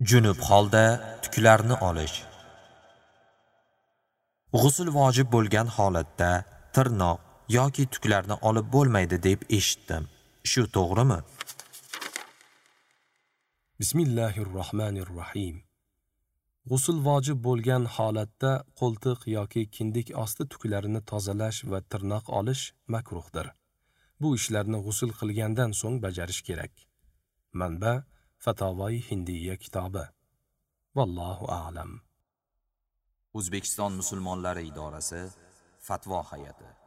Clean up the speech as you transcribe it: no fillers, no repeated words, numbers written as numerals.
Junub holda tuklarni olish. G'usl vojib bo'lgan holatda tirnoq yoki tuklarni olib bo'lmaydi deb eshitdim. Shu to'g'rimi? Bismillahirrohmanirrohim. G'usl vojib bo'lgan holatda qo'ltiq yoki kindik osti tuklarini tozalash va tirnoq olish makruhdir. Bu ishlarni g'usl qilgandan so'ng bajarish kerak. Manba: Fatavoi Hindiyya kitobi. Vallohu a'lam. O'zbekiston musulmonlari idorasi Fatvo hay'ati.